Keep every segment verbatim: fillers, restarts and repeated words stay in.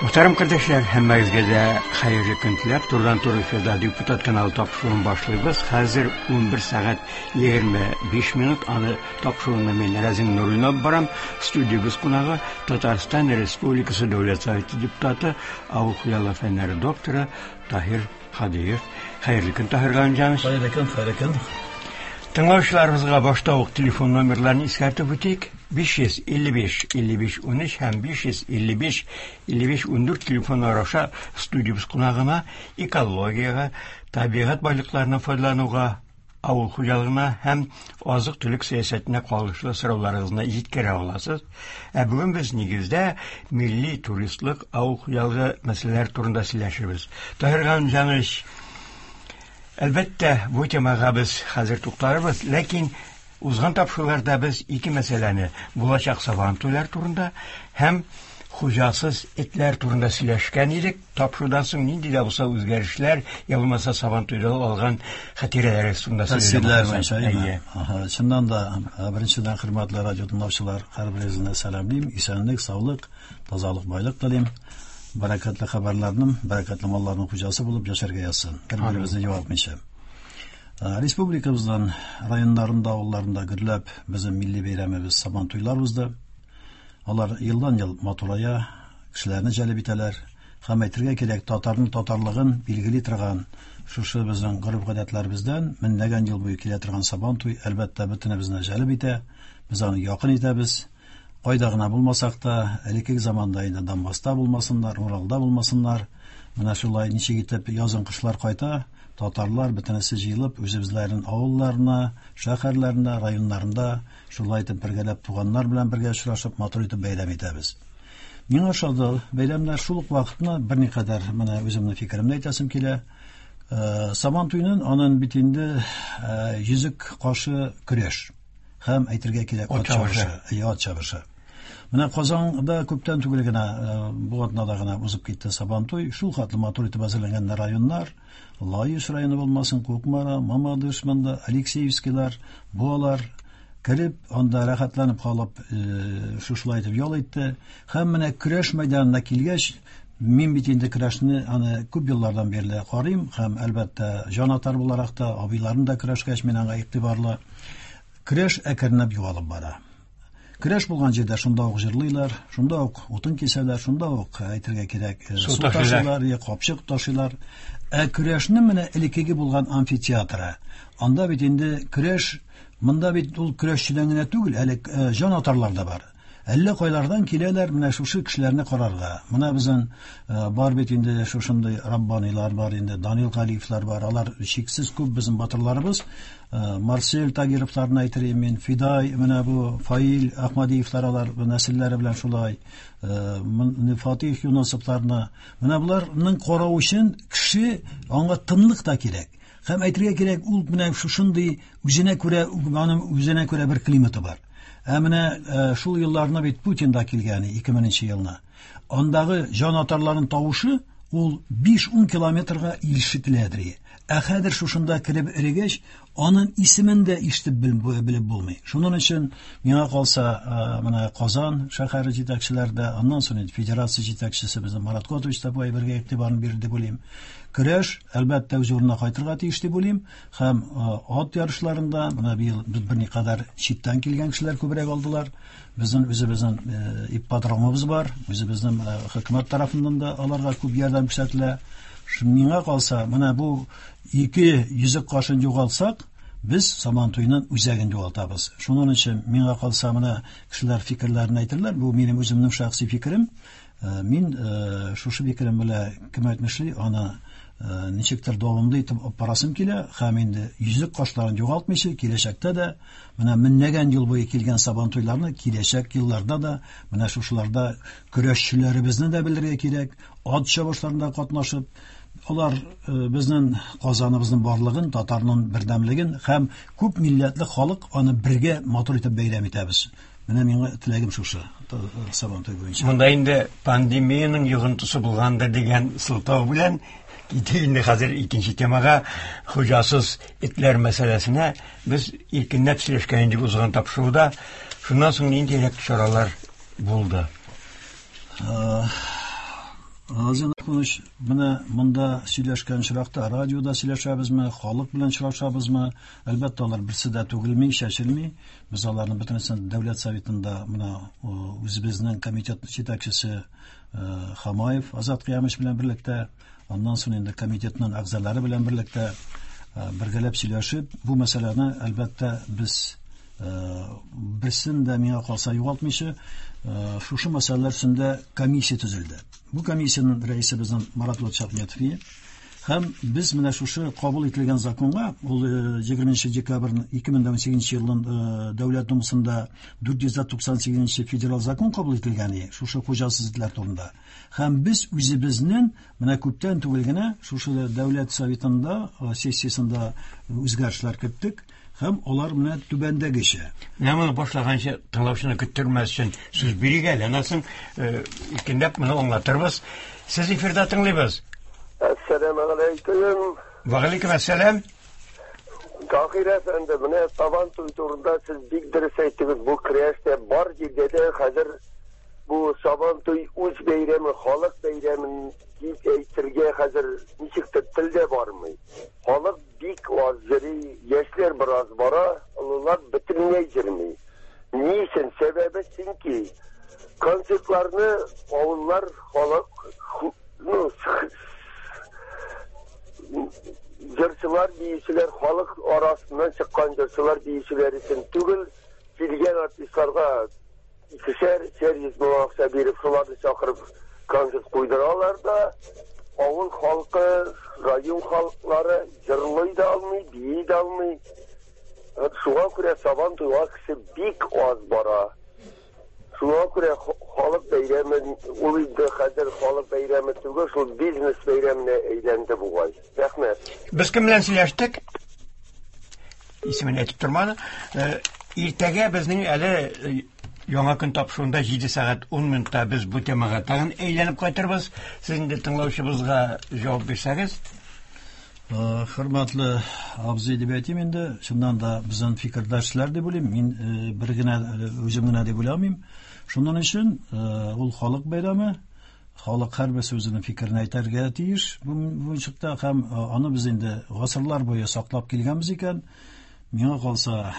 Мөхтәрәм кардәшләр, һәммәгезгә дә хәерле көн теләп, турыдан-туры эфирда Депутат каналы тапшыруын башлыйбыз. Хәзер унбер сәгать егерме биш минут. Аны тапшыруны мин Рәзин Нуруллин алып барам. Студиябез кунагы Татарстан Республикасы Дәүләт Советы депутаты, авыл хуҗалыгы фәннәре докторы Таһир Һадиев. Хәерле көн, Таһир Галимҗанович. Хәерле көн, хәерле көн. Тыңлаучыларыбызга башта ук телефон номерларын искәртеп үтик. биш йөз илле биш илле биш унөч һәм биш йөз илле биш илле биш ундүрт телефоннары аша студиябез кунагына экологиягә, табигать байлыкларына файдалануга, авыл хуҗалыгына һәм азык-төлек сәясәтенә кагылышлы сорауларыгызны җиткерә аласыз. Ә бүген без нигездә милли туристлык, авыл хуҗалыгы мәсьәләләре турында сөйләшербез. Таһир Галимҗанович, әлбәттә, бу темага без хәзер тукталырбыз, ләкин узган тапшыруларда без ике мәсьәләне, булачак сабан туйлар турында һәм хуҗасыз этләр турында сөйләшкән идек. Тапшырудан соң нинди дә булса үзгәрешләр, я булмаса сабан туйда алган хатирәләр турында сөйләшкән буенча, әйе. Аһа, чыннан да, беренчедән, хөрмәтле радио тыңлаучылар, һәрберегезне сәламлим, исәнлек, саулык, тазалык, байлык телим. Бәрәкәтле хәбәрләрнең, бәрәкәтле малларның хуҗасы булып яшәргә язсын. Бер-беребезне югалтмыйча. Республикабыздан районнарында, авылларында гөрләп безнең милли бәйрәмебез Сабан туйлар узды. Алар елдан-ел матурая, кешеләрне җәлеп итәләр. Һәм әйтергә кирәк, татарның татарлыгын билгели торган шушы безнең гореф-гадәтләребездән меңләгән ел буе килә торган Сабан туй әлбәттә бөтенебезне җәлеп итә. Без аны якын итәбез. Кайда гына булмасак та, элеккеге заманда инде Донбасста булмасыннар, Уралда булмасыннар, менә шулай ничек итеп язын кышлар кайта, татарлар бөтенесе җыелып үзебезләренең авылларына, шәһәрләренә, районнарында шулай итеп бергәләп туганнар белән бергә очрашып матур итеп бәйрәм итәбез. Миңа ошады бәйрәмнәр. Шул ук вакытны берникадәр менә үземнең фикеремне әйтәсем килә. Сабан туйның анын бит инде йөзек кашы көрәш һәм әйтергә кирәк ат чабышы, ат чабышы. Менә Казанда күптән түгел генә, бу атнада гына узып китте Сабан туй. Шул хәтле матур итеп әзерләнгән районнар, Лаеш районы булмасын, Кукмара, Мамадыш, монда Алексеевскийлар, Буалар кереп, анда рәхәтләнеп калып, шушылай итеп ял итте. Һәм менә көрәш мәйданына килгәч, мин бит инде көрәшне аны күп еллардан бирле карыйм һәм әлбәттә җанатар буларак та, абыйларым да көрәшкәч, мин аңа игътибарлы. Көрәш әкренләп югалып бара. Көрәш булган җирдә шунда ук җырлыйлар, шунда ук утын кисәләр, шунда ук әйтергә кирәк, су ташыйлар, я капчык ташыйлар. Ә көрәшнең менә элеккеге булган амфитеатры. Анда бит инде көрәш, монда бит ул көрәшчедән генә түгел, әле җанатарлар да бар. Әллә кайлардан киләләр менә шушы кешеләрне карарга. Менә безнең бар бит инде шушындый Раббанилар бар инде, Данил Галиевлар бар. Алар чиксез күп безнең батырларыбыз. Марсель Тагировларны әйтер идем мин, Фидай, менә бу Фаил Ахмадиевлар, алар нәселләре белән шулай, Фатих Юнусовларны. Менә буларның карау өчен кеше аңа тынлык та кирәк. Һәм әйтергә кирәк, ул менә шушындый үзенә күрә, аның үзенә күрә бер климаты бар. Ә менә шул елларны бит Путин да килгән, ике меңенче елны. Андагы җанатарларның тавышы ул биш-ун километрга ишетеләдер. Ә хәзер шушында кереп эрегәч, аның исемен дә ишетеп белеп булмый. Шуның өчен миңа калса, менә Казан шәһәре җитәкчеләре дә, аннан соң инде федерация җитәкчесе безнең Марат Котович та бу әйбергә игътибарын бирде дип уйлыйм. Көрәш әлбәттә үз урынына кайтырга тиеш дип уйлыйм. Һәм ат ярышларында менә быел берникадәр читтән килгән кешеләр күбрәк алдылар. Безнең үзебезнең ипподромыбыз бар, үзебезнең хөкүмәт тарафыннан да аларга күп ярдәм күрсәтелә. Миңа калса, менә бу ике йөзек кашын югалтсак, без Сабан туйның үзәген югалтабыз. Шуның өчен миңа калса, менә кешеләр фикерләрен әйтерләр. Бу минем үземнең шәхси фикерем. Мин шушы фикерем белән кем әйтмешли, аны ничектер дәвамлы итеп алып барасым килә. Һәм инде йөзек кашларын югалтмыйча, киләчәктә дә менә меңләгән ел буе килгән Сабан туйларны киләчәк елларда да менә шушыларда көрәшчеләребезне дә белергә кирәк, ат чабышларында катнашып, алар безнең Казаныбызның барлыгын, татарның бердәмлеген һәм күп милләтле халык аны бергә матур итеп бәйрәм итәбез. Менә миңа теләгем шушы Сабан туй буенча. Монда инде пандемиянең йогынтысы булгандыр дигән сылтау белән китик инде хәзер икенче темага, хуҗасыз этләр мәсьәләсенә. Без иркенләп сөйләшкән идек узган тапшыруда. Шуннан соң ниндирәк чаралар булды? Азин Ахунович, менә монда сөйләшкән очракта радиода сөйләшәбезме, халык белән очрашабызмы? Әлбәттә, алар берсе дә түгелми, чәчелми. Без аларны бөтенесен Дәүләт Советында менә үзебезнең комитет җитәкчесе Хамаев Азат Кыямович белән берлектә, аннан соң инде комитетның әгъзалары белән берлектә бергәләп сөйләшеп, бу мәсьәләне әлбәттә без берсен дә миңа калса югалтмыйча, шушы мәсьәләләр өстендә комиссия төзелде. Бу комиссиянең рәисе безнең Марат Лотшахметов. Һәм без менә шушы кабул ителгән законга, ул егерменче декабрь ике мең унсигезенче елның Дәүләт Думасында дүрт йөз туксан сигезенче федераль закон кабул ителгән, шушы хуҗасыз этләр турында. Һәм без үзебезнең менә күптән түгел генә шушы Дәүләт Советында сессиясендә үзгәрешләр керттек. Һәм алар менә түбәндәгечә. Менә моны башлаганчы тыңлаучыны көттермәс өчен сүз бирик әле, аннан соң икенләп моны аңлатырбыз. Сез эфирда тыңлыйбыз. Әссәламү алейкум. Ва алейкум әссәлам. Таһир әфәнде, менә Сабан туй турында сез бик дөрес әйттегез. Бу көрәштә бар җирдә дә хәзер бу Сабан туй үз бәйрәме, халык бәйрәмен дип әйтергә хәзер ничектер тел дә бармый. Халык бик аз йөри, яшьләр бераз бара, олылар бөтенләй йөрми. Ни өчен? Сәбәбе чөнки концертларны авыллар халык, ну, җырчылар, биючеләр халык арасыннан чыккан җырчылар, биючеләр өчен түгел, килгән артистларга икешәр, өчәр йөз мең акча биреп, шуларны чакырып концерт куйдыралар да, авыл халкы, район халыклары җырлый да алмый, бии дә алмый. Шуңа күрә Сабан туйга кеше бик аз бара. Шуңа күрә халык бәйрәме, ул инде хәзер халык бәйрәме түгел, шул бизнес бәйрәменә әйләнде бугай. Рәхмәт. Без кем белән сөйләштек? Исемен әйтеп тормады. Иртәгә безнең әле Яңа көн тапшыруында җиде сәгать ун минутта без бу темага тагын әйләнеп кайтырбыз. Сез инде тыңлаучыбызга җавап бирсәгез. Хөрмәтле абзый дип әйтим инде, чыннан да безнең фикердәшләр дип уйлыйм. Мин бер генә үзем генә дип уйламыйм. Шуның өчен ул халык бәйрәме, халык һәрберсе үзенең фикерен әйтергә тиеш бу буенча, һәм аны без инде гасырлар буе саклап килгәнбез икән. Миңа калса,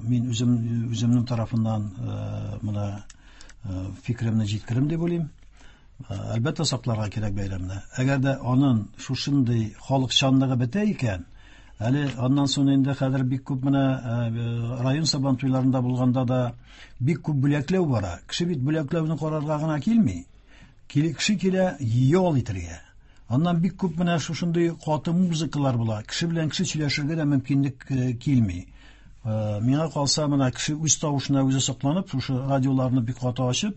мин үзем үземнең тарафыннан моны фикеремне җиткерем дип уйлыйм. Әлбәттә сакларга кирәк бәйрәмне. Әгәр дә аның шушындый халыкчанлыгы бетә икән, әле аннан соң инде хәзер бик күп менә район Сабан туйларында булганда да бик күп бүләкләү бара. Кеше бит бүләкләүне карарга гына килми. Кеше килә ял итәргә. Аннан бик күп менә шушындый каты музыкалар була. Кеше белән кеше сөйләшергә дә мөмкинлек килми. Миңа калса, менә кеше үз тавышына үзе сокланып, шушы радиоларны бик каты ачып,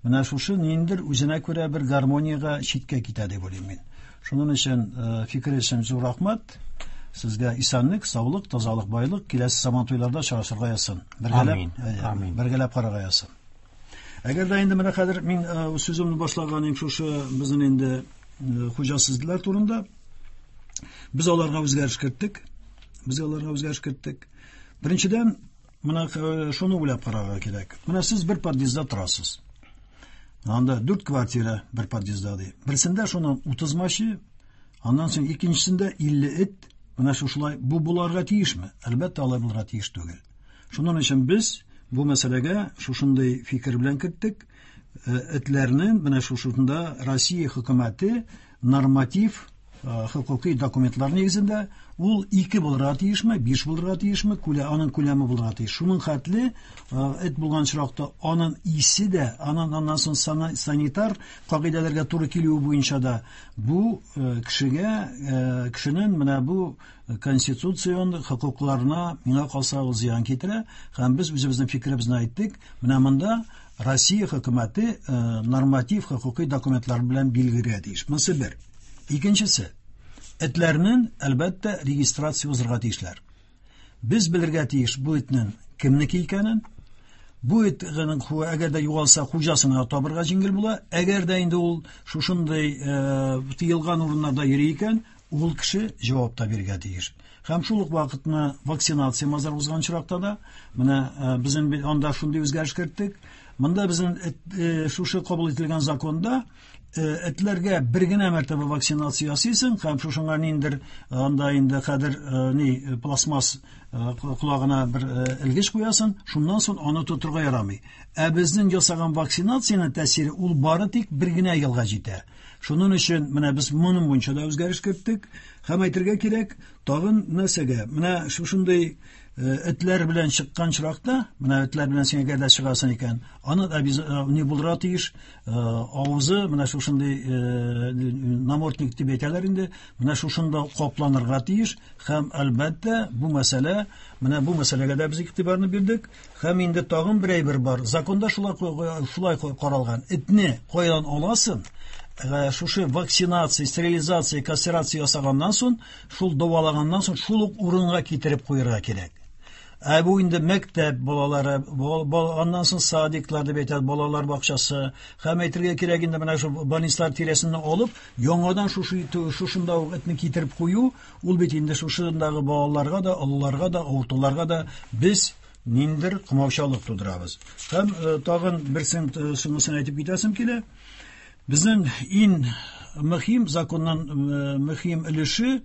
менә шушы ниндер үзенә күрә бер гармониягә читкә китә дип уйлыйм мин. Шуның өчен фикер өчен зур рәхмәт. Сезгә исәнлек, саулык, тазалык, байлык, киләсе Сабан туйларда очрашырга язсын. Бергәләп, амин. Бергәләп карарга язсын. Әгәр дә инде менә хәзер мин сүземне башлаган идем шушы безнең инде хуҗасызлар турында. Без аларга үзгәреш керттек. Без аларга үзгәреш керттек. Беренчедән, менә шуны уйлап карарга кирәк. Менә сез бер подъездда торасыз. Анда дүрт квартира бер подъездда ди. Берсендә шуның утыз машина, аннан соң икенчесендә илле эт. Менә шушылай бу буларга тиешме? Әлбәттә, алай булырга тиеш түгел. Шуның өчен без бу мәсьәләгә шушындый фикер белән керттек. Этләрнең менә шушында Россия хөкүмәте норматив хукуки документлар нигезендә ул ике булырга тиешме, биш булырга тиешме, күлә, аның күләме булырга тиеш. Шуның хәтле эт булган очракта аның исе дә, аның аннан соң санитар кагыйдәләргә туры килүе буенча да бу кешегә, кешенең менә бу конституцион хокукларына миңа калса ул зыян китерә. Һәм без үзебезнең фикеребезне әйттек. Менә монда Россия хөкүмәте норматив хукуки документлар белән билгеләргә тиеш. Монысы бер. Икенчесе, этләрнең әлбәттә регистрация узырга тиешләр. Без белергә тиеш бу этнең кемнеке икәнен. Бу этнең әгәр дә югалса хуҗасына табырга җиңел була. Әгәр дә инде ул шушындый тыелган урыннарда йөри икән, ул кеше җавап та бирергә тиеш. Һәм шул ук вакытны вакцинация мазар узган очракта да, менә безнең анда шундый үзгәреш керттек. Монда безнең шушы кабул ителгән законда Этләргә бер генә мәртәбә вакцинация ясыйсың һәм шушыңа ниндер анда инде хәзер ни пластмасс колагына бер элгеч куясың, шуннан соң аны тотырга ярамый. Ә безнең ясаган вакцинациянең тәэсире ул бары тик бер генә елга җитә. Шуның өчен менә без моның буенча да үзгәреш керттек. Һәм әйтергә кирәк, тагын нәрсәгә? Менә шушындый этләр белән чыккан чиракта, менә этләр белән син әгәр дә чыгасың икән, аны да ни булдыра тиеш, авызы менә шушындый намордник дип әйтәләр инде, менә шушында капланырга тиеш. Һәм әлбәттә бу мәсьәлә, менә бу мәсьәләгә дә без игътибарны бирдек. Һәм инде тагын бер әйбер бар. Законда шулай шулай каралган. Этне кайдан аласың? Шушы вакцинация, стерилизация, кастрация ясаганнан соң, шул дәвалаганнан соң шул ук урынга китереп куярга кирәк. Ә бу инде мәктәп балалары, аннан соң садиклар дип әйтәләр, балалар бакчасы. Һәм әйтергә кирәк инде менә шу больницалар тирәсеннән алып, яңадан шушы шушында ук этне китереп кую, ул бит инде шушындагы балаларга да, олыларга да, авыртуларга да без ниндер комаучалык тудырабыз. Һәм тагын берсен шунысын әйтеп китәсем килә. Безнең иң мөһим законнан мөһим өлеше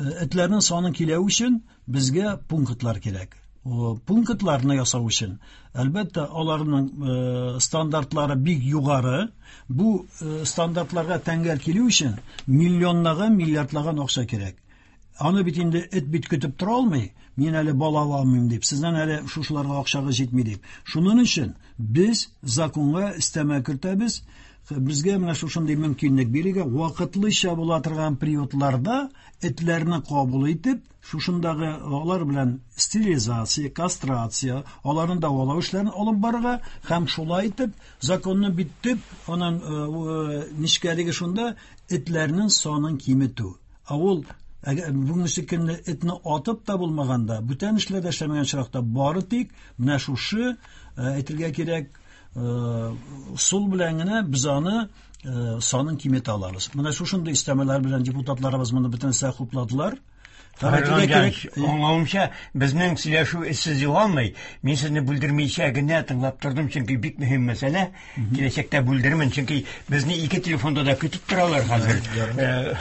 этләрнең санын киләү өчен безгә пунктлар кирәк. Пунктларны ясау өчен, әлбәттә, аларның стандартлары бик югары. Бу стандартларга тәңгәл килү өчен миллионлаган, миллиардлаган акча кирәк. Аны бит инде эт бит көтеп тора алмый, мин әле бала ала алмыйм дип, сездән әле шушыларга акчагыз җитми дип. Шуның өчен без законга өстәмә кертәбез. Безгә менә шушындый мөмкинлек бирергә, вакытлыча була торган приютларда этләрне кабул итеп, шушындагы алар белән стерилизация, кастрация, аларны дәвалау эшләрен алып барырга һәм шулай итеп законны битеп, аның нечкәлеге шунда этләрнең санын киметү. Ә ул бүгенге көнне этне атып та булмаганда, бүтән эшләр дә эшләмәгән чиракта бары тик менә шушы әйтергә кирәк, сул белән генә без аны санын киметә алабыз. Менә шушындый истәмәләр белән депутатларыбыз моны бөтенесе хупладылар. Аңлавымча, безнең сөйләшү эзсез югалмый. Мин сезне бүлдермичә генә тыңлап тордым, чөнки бик мөһим мәсьәлә. Киләчәктә бүлдермен, чөнки безне ике телефонда да көтеп торалар хәзер.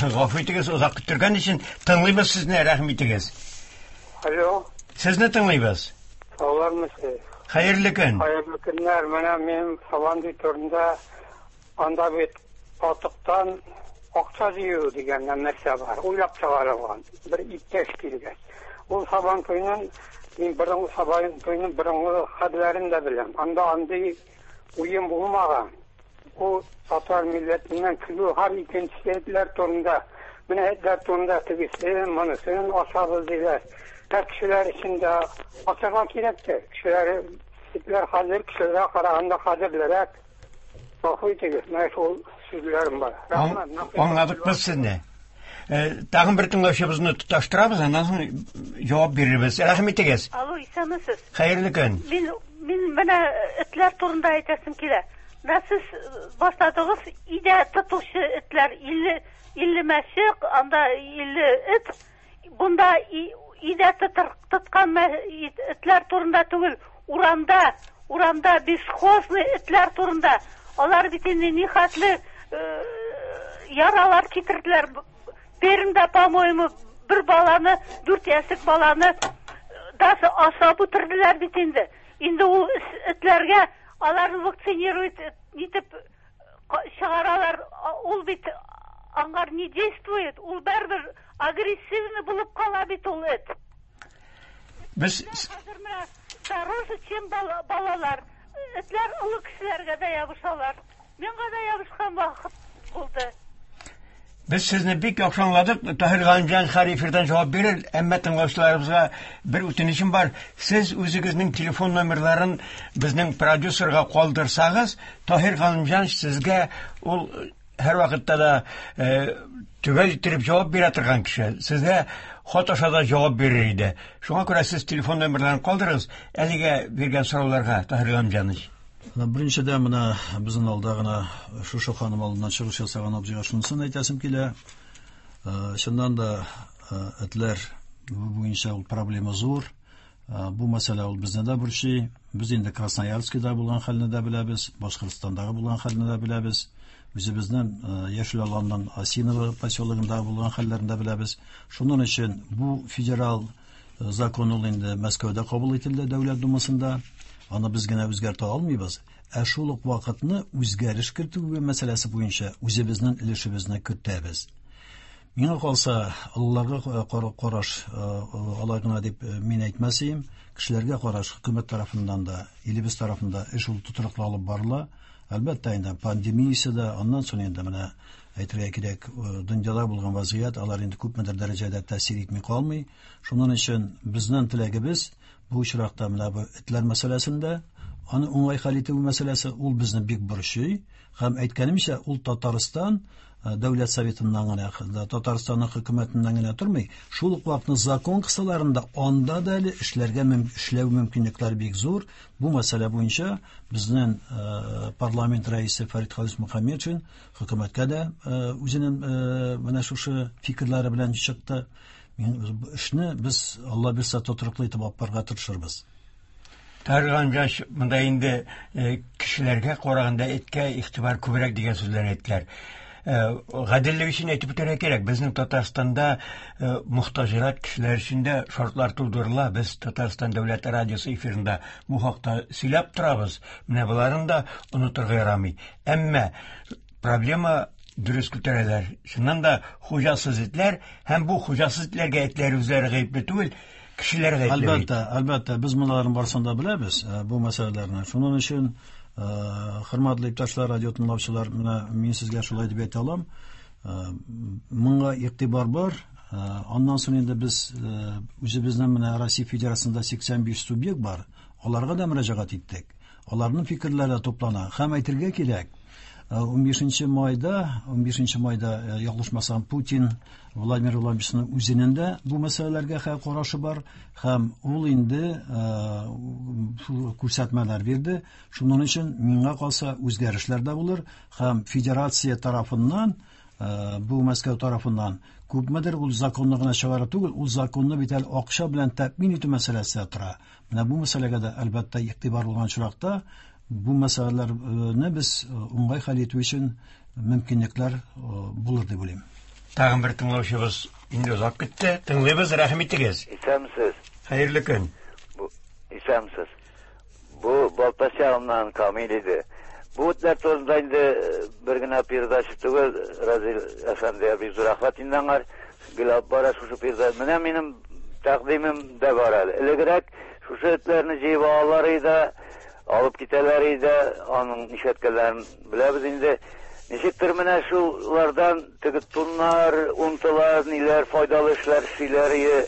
Гафу итегез, озак көттергән өчен. Тыңлыйбыз сезне, рәхим итегез. Алло. Сезне тыңлыйбыз. Саулармысыз? Хәерле көн. Хәерле көннәр. Менә мин Сабантуй турында, анда бит катыктан акча җыю дигән нәрсә бар, уйлап чыгарылган. Бер иптәш килгән. Ул Сабантуйның, мин борынгы Сабантуйның борынгы хәлләрен дә беләм. Анда андый уен булмаган. Ул татар милләтеннән көлү һәм икенче этләр турында, менә этләр турында тегесен, монысын ашабыз диләр. Һәр кешеләр өчен дә ашарга кирәктер. Кешеләр, этләр хәзер кешеләргә караганда кадерлерәк. Гафу итегез, менә шул сүзләрем бар. Рәхмәт. Аңладык без сезне. Тагын бер тыңлаучыбызны тоташтырабыз, аннан соң җавап бирербез. Рәхим итегез. Алло, исәнмесез. Хәерле көн. Мин, мин менә этләр турында әйтәсем килә. Менә сез башладыгыз, өйдә тотучы этләр илле, илле мәче, анда илле эт. Бунда өйдә тоткан этләр турында түгел, урамда, урамда бесхозный этләр турында. Алар бит инде нихәтле яралар китерделәр. Пермьдә, по-моему, бер баланы, дүрт яшьлек баланы даже асап үтерделәр бит инде. Инде ул этләргә аларны вакцинировать итеп чыгаралар, ул бит аңар не действует, ул барыбер агрессивный булып кала бит ул эт. Без хәзер менә дороже, чем балалар. Этләр олы кешеләргә дә ябышалар. Миңа да ябышкан вакыт булды. Без сезне бик яхшы аңладык. Таһир Галимҗан һәр эфирдан җавап бирер, әмма тыңлаучыларыбызга бер үтенечем бар. Сез үзегезнең телефон номерларын безнең продюсерга калдырсагыз, Таһир Галимҗан сезгә ул һәр вакытта да төгәл иттереп җавап бирә торган кеше. Сезгә хат аша да җавап бирер иде. Шуңа күрә сез телефон номерларын калдырыгыз әлегә биргән сорауларга, Таһир Галимҗанович. Беренчедән менә безнең алда гына шушы ханым алдыннан чыгыш ясаган абзыйга шунысын әйтәсем килә. Чыннан да этләр буенча ул проблема зур. Бу мәсьәлә ул безне дә борчый. Без инде Красноярскида булган хәлне дә беләбез, Башкортстандагы булган хәлне дә беләбез. Үзебезнең Яшел Аланның Осиново поселогында булган хәлләрен дә беләбез. Шуның өчен бу федерал закон ул инде Мәскәүдә кабул ителде, Дәүләт Думасында. Аны без генә үзгәртә алмыйбыз. Ә шул ук вакытны үзгәреш кертү мәсьәләсе буенча үзебезнең өлешебезне кертәбез. Миңа калса, олыларга караш алай гына дип мин әйтмәс идем. Кешеләргә караш хөкүмәт тарафыннан да, илебез тарафында эш ул тотрыклы алып барыла. Әлбәттә инде пандемиясе дә, аннан соң инде менә әйтергә кирәк, дөньяда булган вазгыять алар инде күпмедер дәрәҗәдә тәэсир итми калмый. Шуның өчен безнең теләгебез бу очракта менә бу этләр мәсьәләсендә аны уңай хәл итү мәсьәләсе ул безне бик борчый. Һәм әйткәнемчә, ул Татарстан Дәүләт Советыннан гына, Татарстанның хөкүмәтеннән генә тормый. Шул ук вакытта закон кысаларында анда да әле эшләргә эшләү мөмкинлекләре бик зур. Бу мәсьәлә буенча безнең парламент рәисе Фәрит Халис Мөхәммәтшин хөкүмәткә дә үзенең менә шушы фикерләре белән чыкты. Эшне без Алла бирсә тотрыклы итеп алып барырга тырышырбыз. Тарган жаш монда инде кешеләргә караганда эткә игътибар күбрәк дигән сүзләрне әйттеләр. Гаделлек өчен әйтеп үтәргә кирәк, безнең Татарстанда мохтаҗрак кешеләр өчен дә шартлар тудырыла. Без Татарстан дәүләт радиосы эфирында бу хакта сөйләп торабыз. Менә боларын да онытырга ярамый. Әмма проблема дөрес күтәрәләр. Чыннан да хуҗасыз этләр һәм бу хуҗасыз этләргә этләр үзләре гаепле түгел, кешеләр гаепле. Әлбәттә, әлбәттә, без монларның барысын да беләбез, бу мәсьәләләрне. Шуның өчен хөрмәтле иптәшләр, радио тыңлаучылар, менә мин сезгә шулай дип әйтә алам. Моңа игътибар бар. Аннан соң инде без үзебезнең менә Россия Федерациясендә сиксән биш субъект бар. Аларга да мөрәҗәгать иттек. Аларның фикерләре туплана. Һәм әйтергә кирәк, унбишенче майда, унбишенче майда ялгышмасам, Путин Владимир Владимировичның үзенең дә бу мәсьәләләргә карашы бар һәм ул инде күрсәтмәләр бирде. Шуның өчен миңа калса үзгәрешләр дә булыр һәм федерация тарафыннан, бу Мәскәү тарафыннан күпмедер ул законны гына чыгару түгел, ул законны бит әле акча белән тәэмин итү мәсьәләсе тора. Менә бу мәсьәләгә дә әлбәттә игътибар булган очракта бу мәсьәләләрне без уңай хәл итү өчен мөмкинлекләр булыр дип уйлыйм. Тагын бер тыңлаучыбыз инде озак көтте. Тыңлыйбыз, рәхим итегез. Исәнмесез. Хәерле көн. Бу исәнмесез. Бу Балтач ягыннан Камил иде. Бу этләр турында инде бер генә передача түгел, Разил әфәнде бик зур рәхмәт инде аңар. Гел алып бара шушы передача. Менә минем тәкъдимем дә бар әле. Элегрәк шушы этләрне җыеп алалар иде, алып китәләр иде, аның нишләткәннәрен беләбез инде. Ничектер менә шулардан теге туннар, унтылар, ниләр файдалы эшләр эшлиләр иде,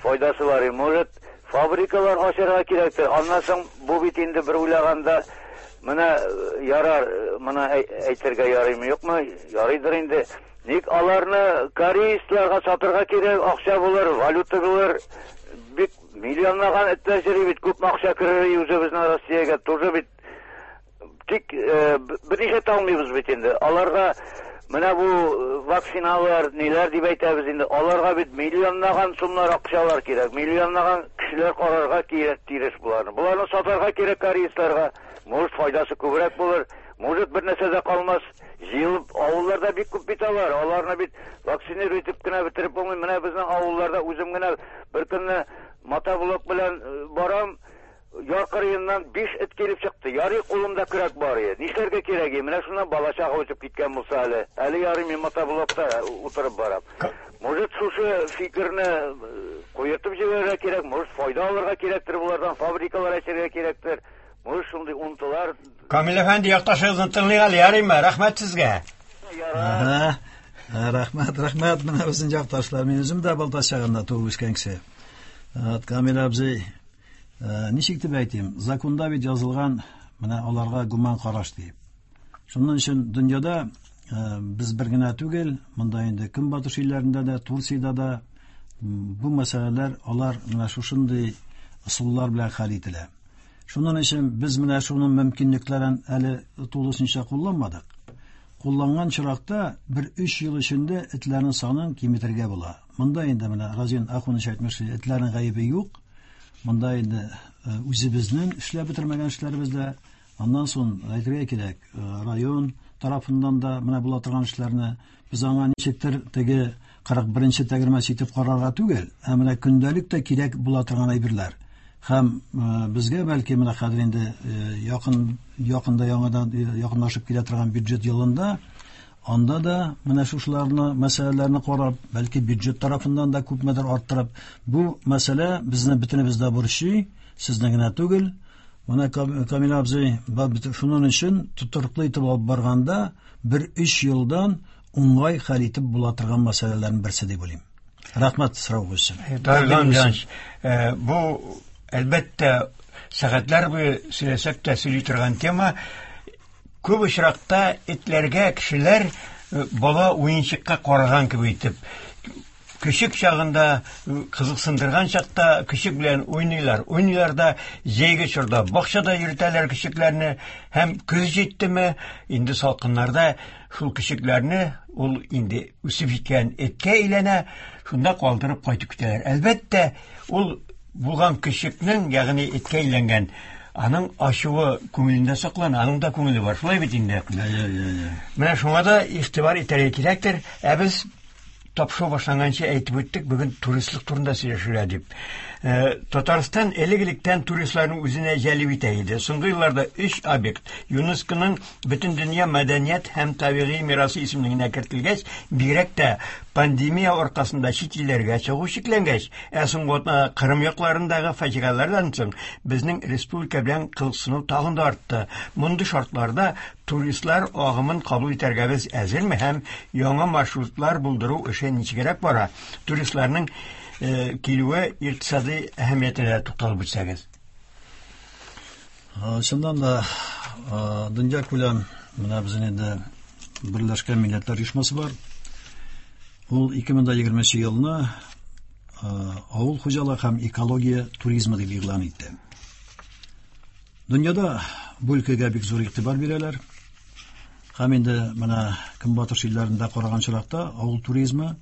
файдасы бар иде. Может, фабрикалар ачарга кирәктер. Аннан соң бу бит инде бер уйлаганда менә ярар, моны әйтергә ярыймы, юкмы? Ярыйдыр инде. Ник аларны кореецларга сатырга кирәк, акча булыр, валюта булыр. Бик миллионлаган этләр йөри бит, күп акча керер үзебезнең Россиягә, тоже бит. Тик берничә алмыйбыз бит инде. Аларга менә бу вакциналар, ниләр дип әйтәбез инде. Аларга бит миллионлаган сумнар акчалар кирәк, миллионлаган кешеләр карарга кирәк тиреш буларны. Буларны сатарга кирәк кореецларга. Может, файдасы күбрәк булыр, может, бер нәрсә дә калмас. Җыелып авылларда бик күп бит алар. Аларны бит вакцинировать итеп кенә бетереп булмый. Менә безнең авылларда үзем генә бер көнне мотоблок белән барам, яр кырыеннан биш эт килеп чыкты. Ярый кулымда көрәк бар иде. Нишләргә кирәк иде? Менә шуннан бала чага үтеп киткән булса әле. Әле ярый мин мотоблокта утырып барам. Может, шушы фикерне куертып җибәрергә кирәк, может, файда алырга кирәктер булардан, фабрикалар ачарга кирәктер. Может, шундый унтылар. Камил әфәнде, якташыгызны тыңлыйк әле, ярыймы? Рәхмәт сезгә. Ага. Рәхмәт, рәхмәт. Менә безнең якташлар. Мин үзем дә Балтач ягында туып үскән кеше. Камил абзый, ничек дип әйтим, законда бит язылган, менә аларга гуман караш дип. Шуннан өчен дөньяда без бер генә түгел, монда инде Көнбатыш илләрендә дә, Турциядә дә бу мәсьәләләр алар менә шушындый ысуллар белән хәл ителә. Шуннан өчен без менә шуның мөмкинлекләрен әле тулысынча кулланмадык. Кулланган чиракта бер өч ел эчендә этләрнең санын киметергә була. Монда инде менә Разин Ахунович әйтмешли, этләрнең гаебе юк. Монда инде үзебезнең эшләп бетермәгән эшләребез дә, аннан соң әйтергә кирәк, район, тарафыннан да менә була торган эшләрне без аңа ничектер теге кырык беренче тәгәрмәч итеп карарга түгел, ә менә көндәлек тә кирәк була торган әйберләр. Һәм безгә бәлки менә хәзер инде якын якында яңадан якынлашып килә торган бюджет елында анда да менә шушыларны мәсьәләләрне карап, бәлки бюджет тарафыннан да күпмедер арттырып, бу мәсьәлә безне бөтенебез дә борчый, сезне генә түгел. Менә Камил абзый шуның өчен тотрыклы итеп алып барганда бер өч елдан уңай хәл итеп була торган мәсьәләләрнең берсе дип уйлыйм. Рәхмәт сорау өчен. Дарган Җанч, бу әлбәттә сәгатьләр буе сөйләсәк тә сөйли торган тема. Күп очракта этләргә кешеләр бала уенчыкка караган кебек итеп, көчек чагында кызыксындырган чакта көчек белән уйныйлар. Уйныйлар да җәйге чорда бакчада йөртәләр көчекләрне, һәм көз җиттеме, инде салкыннарда шул көчекләрне ул инде үсеп җиткән эткә әйләнә, шунда калдырып кайтып китәләр. Әлбәттә, ул булган көчекнең, ягъни эткә әйләнгән, аның ачуы күңелендә саклана, аның да күңеле бар. Шулай бит инде. Менә шуңа да игътибар итәргә кирәктер. Ә без тапшыру башланганчы әйтеп үттек, бүген туристлык турында сөйләшергә дип. Татарстан элек-электән туристларны үзенә җәлеп итә иде. Соңгы елларда өч объект ЮНЕСКОның Бөтендөнья мәдәният һәм табигый мирасы исемлегенә кертелгәч, бигрәк тә пандемия аркасында чит илләргә чыгу чикләнгәч, ә соңгы атнада Кырым якларындагы фаҗигалардан соң безнең республика белән кызыксыну тагын да артты. Мондый шартларда туристлар агымын кабул итәргә без әзерме һәм яңа маршрутлар булдыру эше ничегрәк бара? Туристларның килүе икътисади әһәмиятенә тукталып үтсәгез. Чыннан да дөнья күләм менә безнең инде Берләшкән Милләтләр Оешмасы бар. Ул ике мең егерменче елны авыл хуҗалыгы һәм экология туризмы дип игълан итте. Дөньяда бу өлкәгә бик зур игътибар бирәләр. Һәм инде менә Көнбатыш илләрендә караган чиракта авыл туризмы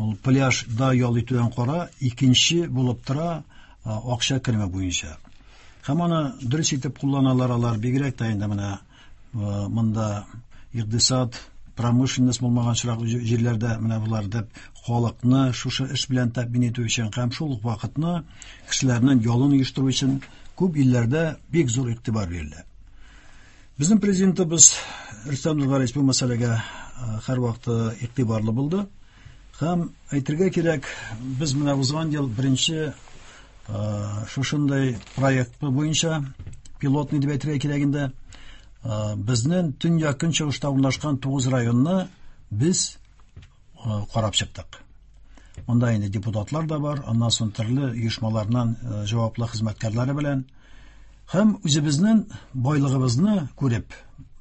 ул пляжда ял итүдән кара икенче булып тора акча кереме буенча. Һәм аны дөрес итеп кулланалар алар, бигрәк тә инде менә монда икътисад, промышленность булмаган чирак җирләрдә менә булар дип халыкны шушы эш белән тәэмин итү өчен һәм шул ук вакытны кешеләрнең ялын оештыру өчен күп илләрдә бик зур игътибар бирелә. Безнең президентыбыз Рөстәм Нургалиевич бу мәсьәләгә һәрвакыт игътибарлы булды. Һәм әйтергә кирәк, без менә узган ел беренче шушындай проект буенча пилотный дип әйтергә кирәк инде, безнең төньяк көнчыгышта урнашкан тугыз районны без карап чыктык. Монда инде депутатлар да бар, аннан соң төрле оешмалардан җаваплы хезмәткәрләре белән һәм үзебезнең байлыгыбызны күреп,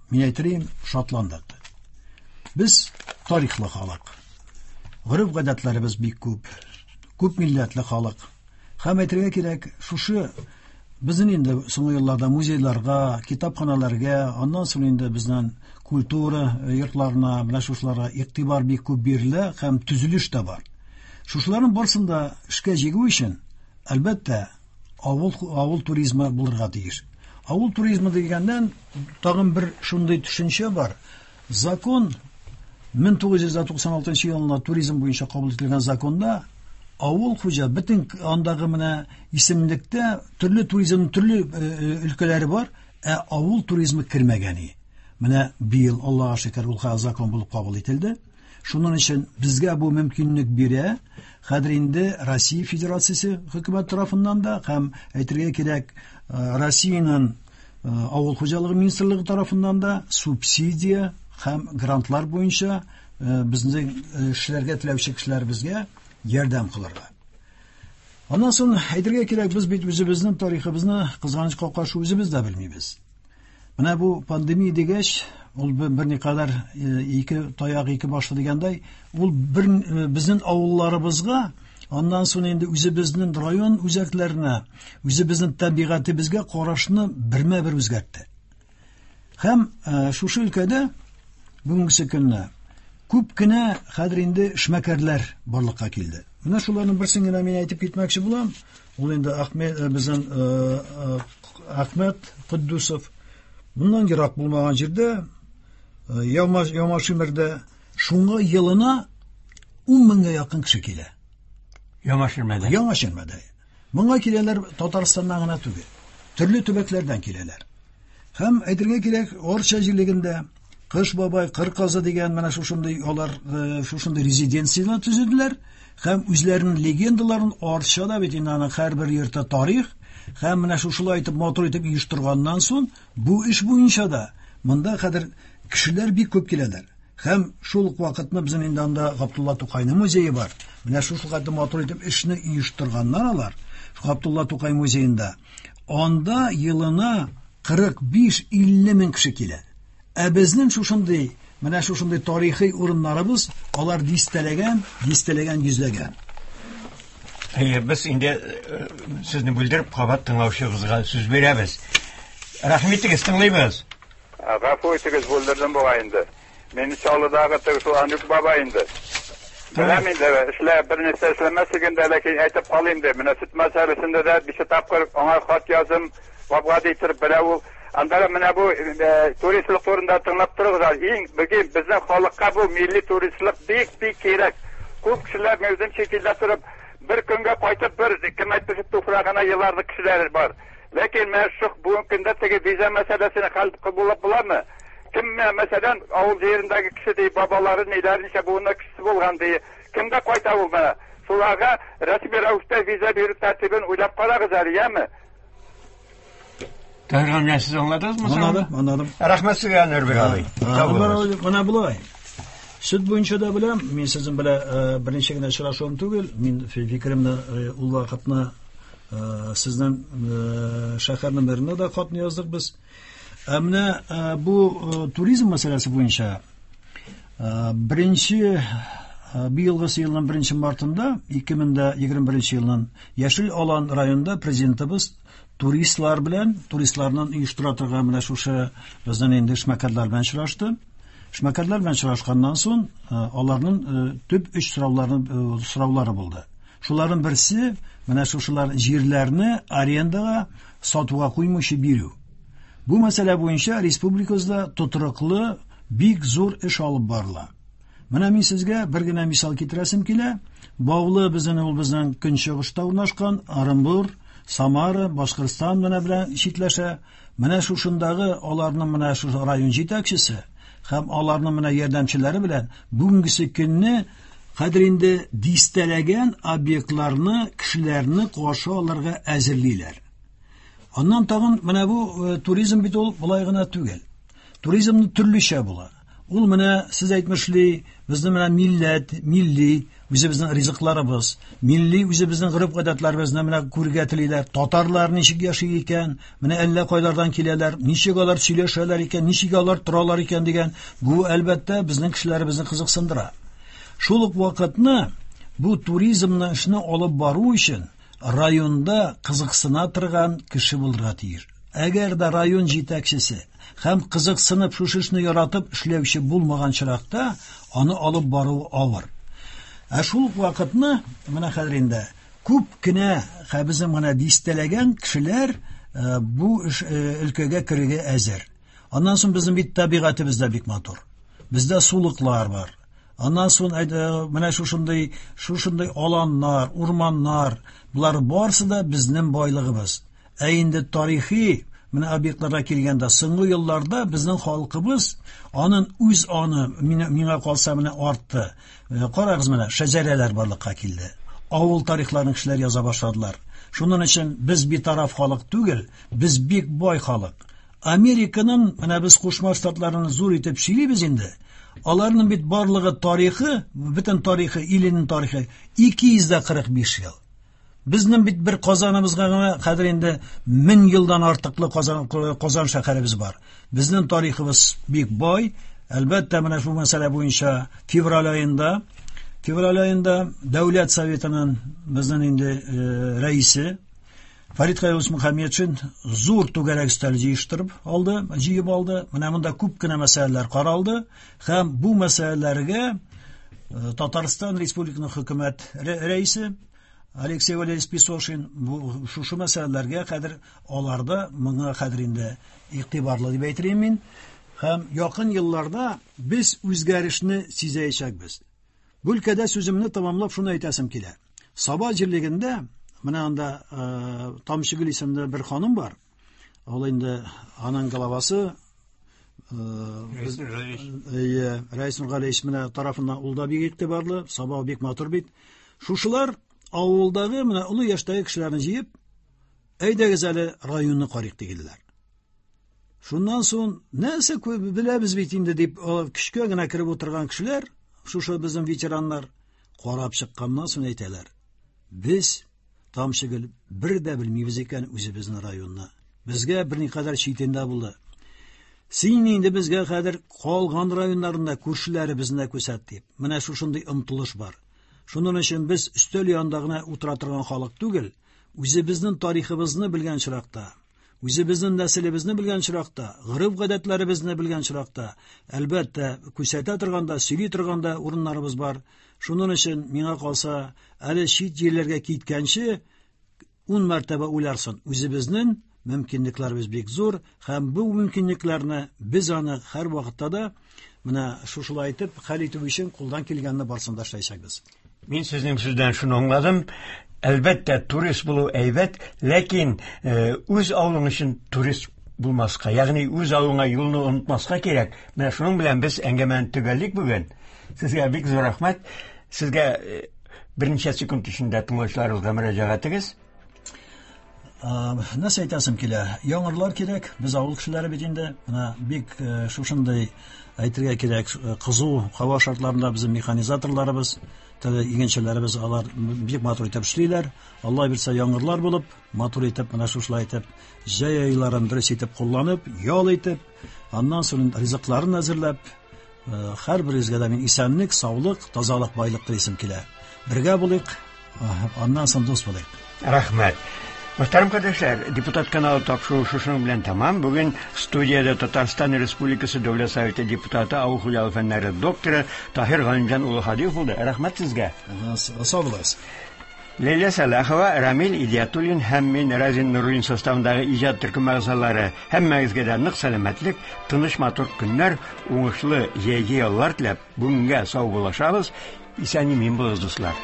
мин әйтерим, шатландык. Без тарихлы халык. Гореф-гадәтләребез бик күп, күп милләтле халык. Һәм әйтергә кирәк, шушы безнең инде соңгы елларда музейларга, китапханаларга, аннан соң инде безнең культура йортларына, менә шушыларга игътибар бик күп бирелә һәм төзелеш тә бар. Шушыларның барысын да эшкә җигү өчен, әлбәттә, авыл, авыл туризмы булырга тиеш. Авыл туризмы дигәннән тагын бер шундый төшенчә бар. Закон мең тугыз йөз туксан алтынчы елында туризм буенча кабул ителгән законда авыл хуҗа бөтен андагы менә исемлектә төрле туризмның төрле өлкәләре бар, ә авыл туризмы кермәгән. Менә быел Аллаһка шөкер ул закон булып кабул ителде. Шуның өчен безгә бу мөмкинлек бирә. Хәзер инде Россия Федерациясе хөкүмәт тарафыннан да һәм әйтергә кирәк, Россиянең авыл хуҗалыгы министрлыгы тарафыннан да субсидия һәм грантлар буенча безнең эшләргә теләүче кешеләребезгә ярдәм кылырга. Аннан соң әйтергә кирәк, без бит үзебезнең тарихыбызны кызганычка каршы үзебез дә белмибез. Менә бу пандемия дигәч, ул берникадәр ике таяк ике башлы дигәндәй, ул бер безнең авылларыбызга, аннан соң инде үзебезнең район үзәкләренә, үзебезнең табигатебезгә карашны бермә-бер үзгәртте. Һәм шушы өлкәдә бүгенге көнне күп кенә хәзер инде эшмәкәрләр барлыкка килде. Менә шуларның берсен генә мин әйтеп китмәкче булам. Ул инде Ахмед, безнең Ахмед Куддусов. Моннан ерак булмаган җирдә Ямашимердә. Шуңа елына ун меңгә якын кеше килә. Ямаширмәдә. Ямаширмәдә. Моңа киләләр Татарстаннан гына түгел, төрле төбәкләрдән киләләр. Һәм әйтергә кирәк, Орча җирлегендә Кыш бабай, Кыр казы дигән менә шушындый алар шушындый резиденцияләр төзеделәр һәм үзләренең легендаларын Арчада бит инде аның һәрбер йорты тарих һәм менә шушылай итеп матур итеп оештырганнан соң бу эш буенча да монда хәзер кешеләр бик күп киләләр. Һәм шул ук вакытны безнең инде анда Габдулла Тукайның музее бар. Менә шул хәтле матур итеп эшне оештырганнар алар. Габдулла Тукай музеенда. Анда елына кырык биш илле мең кеше килә. Ә безнең шушындый, менә шушындый тарихи урыннарыбыз, алар дистәләгән, дистәләгән, йөзләгән. Әйе, без инде сезне бүлдереп кабат тыңлаучыгызга сүз бирәбез. Рәхмәт итегез, тыңлыйбыз. Гафу итегез, бүлдердем бугай инде. Мин Чаллыдагы теге шул Анюк баба инде. Беләм инде, эшлә бер нәрсә эшләмәсәң дә, ләкин әйтеп калыйм ди. Менә сөт мәсьәләсендә дә биш тапкыр аңа хат яздым, вабга итеп белә ул. Анда менә бу туристлык турында тыңлап торыгыз. Иң бүген безнең халыкка бу милли туристлык бик-бик кирәк. Күп кешеләр үзен чит илдә торып, бер көнгә кайтып, бер кем әйтмешли туфрагына еларлык кешеләр бар. Ләкин менә шу бүгенге көндә теге виза мәсьәләсен хәл кылып буламы? Кем мәсәлән авыл җирендәге кеше ди, бабалары ниләр ничә буыннар кешесе булган ди. Кемгә кайта ул менә? Шуларга рәсми рәвештә виза бирү тәртибен уйлап карагыз әле, яме? Тагын сез аңладыгызмы? Аңладым, аңладым. Рәхмәт сезгә, Нурбек абый. Менә болай. Сөт буенча да беләм, мин сезнең белән беренче генә очрашуым түгел, мин фикеремне ул вакытны сезнең шәһәрнең мэрына да хатны яздык без. Ә менә бу туризм мәсьәләсе буенча беренче быелгы елның беренче мартында ике мең егерме беренче елның Яшел Алан районында президентыбыз туристлар белән, туристларның оештыра торган менә шушы безнең инде эшмәкәрләр белән очрашты. Эшмәкәрләр белән очрашканнан соң аларның төп өч сораулары сораулары булды. Шуларның берсе менә шушылар җирләрне арендага сатуга куймыйча бирү. Бу мәсьәлә буенча республикабызда тотрыклы бик зур эш алып барыла. Менә мин сезгә бер генә мисал китерәсем килә. Баулы безнең ул безнең көнчыгышта урнашкан Оренбур, Самара, Башкортстан менә белән читләшә. Менә шушындагы аларның менә шушы район җитәкчесе һәм аларның менә ярдәмчеләре белән бүгенге көнне хәзер инде дистәләгән объектларны, кешеләрне каршы алырга әзерлиләр. Аннан тагын менә бу туризм бит ул болай гына түгел. Туризмны төрлечә була. Ул менә сез әйтмешли, безнең менә милләт, милли үзебезнең ризыкларыбыз, милли үзебезнең гореф-гадәтләребезне менә күрергә телиләр. Татарлар ничек яши икән, менә әллә кайлардан киләләр, ничек алар сөйләшәләр икән, ничек алар торалар икән дигән, бу әлбәттә безнең кешеләребезне кызыксындыра. Шул ук вакытны бу туризмны эшне алып бару өчен районда кызыксына торган кеше булырга тиеш. Әгәр дә район җитәкчесе һәм кызыксынып шушы эшне яратып эшләүче булмаган чиракта аны алып бару авыр. Ә шул ук вакытны менә хәзер инде күп кенә безнең менә дистәләгән кешеләр бу эш өлкәгә керергә әзер. Аннан соң безнең бит табигатебез дә бик матур. Бездә сулыклар бар. Аннан соң менә шушындый шушындый аланнар, урманнар, булар барысы да безнең байлыгыбыз. Ә инде тарихи менә объектларга килгәндә соңгы елларда безнең халкыбыз аның үз аны миңа калса менә артты. Карагыз менә шәҗәрәләр барлыкка килде. Авыл тарихларын кешеләр яза башладылар. Шуның өчен без битараф халык түгел, без бик бай халык. Американың менә без Кушма Штатларын зур итеп сөйлибез инде. Аларның бит барлыгы тарихы, бөтен тарихы, иленең тарихы ике йөз дә кырык биш ел. Безнең бит бер Казаныбызга гына хәзер инде мең елдан артыклы Казан, Казан шәһәребез бар. Безнең тарихыбыз бик бай. Әлбәттә, менә шул мәсьәлә буенча февраль аенда, февраль аенда Дәүләт Советының безнең инде рәисе Фарид Хәйруллович Мөхәммәтшин зур түгәрәк өстәл җыештырып алды, җыеп алды. Менә монда күп кенә мәсьәләләр каралды һәм бу мәсьәләләргә Татарстан Республикасының хөкүмәт рәисе Алексей Валерьевич Песошин бу шушы мәсьәләләргә хәзер аларда моңа хәзер инде игътибарлы дип әйтер мин. Һәм якын елларда без үзгәрешне сизәячәкбез. Бу өлкәдә сүземне тәмамлап шуны әйтәсем килә. Саба җирлегендә менә анда э, Тамчыгөл исемле бер ханым бар. Ул инде аның главасы Рәис Нургалиевич. Әйе, Рәис Нургалиевич менә тарафыннан ул да бик игътибарлы, Саба бик матур бит. Шушылар авылдагы менә олы яшьтәге кешеләрне җыеп, әйдәгез әле районны карыйк диделәр. Шуннан соң нәрсә күп беләбез бит инде дип, көчкә генә кереп утырган кешеләр, шушы безнең ветераннар карап чыкканнан соң әйтәләр. Без Тамчыгөл бер дә белмибез икән үзебезнең районны. Безгә берникадәр читендә булды. Син инде безгә хәзер калган районнарында күршеләребезне күрсәт дип. Менә шушындый омтылыш бар. Шуның өчен без өстәл янында гына утыра торган халык түгел, үзебезнең тарихыбызны белгән чиракта, үзебезнең нәселебезне белгән чиракта, гореф-гадәтләребезне белгән чиракта, әлбәттә, күрсәтә торганда, сөйли торганда урыннарыбыз бар. Шуның өчен миңа калса, әле чит җирләргә киткәнче ун мәртәбә уйларсын. Үзебезнең мөмкинлекләребез бик зур, һәм бу мөмкинлекләрне без аны һәр вакытта да менә шушылай итеп хәл итү өчен кулдан килгәнне барысын да эшләячәкбез. Мин сезнең сүздән шуны аңладым. Әлбәттә, турист булу әйбәт, ләкин э, үз авылың өчен турист булмаска, ягъни үз авылыңа юлны онытмаска кирәк. Менә шуның белән без әңгәмәне төгәллик бүген. Сезгә бик зур рәхмәт. Сезгә э, берничә секунд эчендә тыңлаучыларыбызга мөрәҗәгатегез. Нәрсә әйтәсем килә? Яңгырлар кирәк, без авыл кешеләре бит инде. Менә бик э, шушындый әйтергә кирәк, э, кызу һава шартларында безнең механизаторларыбыз, теге игенчеләребез алар бик матур итеп эшлиләр. Алла бирсә яңгырлар булып, матур итеп менә шушылай итеп җәй айларын дөрес итеп кулланып, ял итеп, аннан соң ризыкларын әзерләп, э, һәрберегезгә дә мин исәнлек, саулык, тазалык, байлык телисем килә. Бергә булыйк, аннан соң дус булыйк. Рәхмәт. Мөхтәрәм кардәшләр, депутат каналы тапшыруы шушының белән тәмам. Бүген студиядә Татарстан Республикасы Дәүләт Советы депутаты, авыл хуҗалыгы фәннәре докторы Таһир Галимҗан улы Һадиев булды. Рәхмәт сезгә. Сау булыгыз. Ләйлә Сәлахова, Рамил Идиятуллин һәм мин Разин Нуруллин составындагы иҗат төркеме әгъзалары һәммәгезгә дә нык сәламәтлек, тыныч матур көннәр, уңышлы җәйге яллар теләп, бүгенгә сау булашабыз. Исән имин булыгыз, дуслар.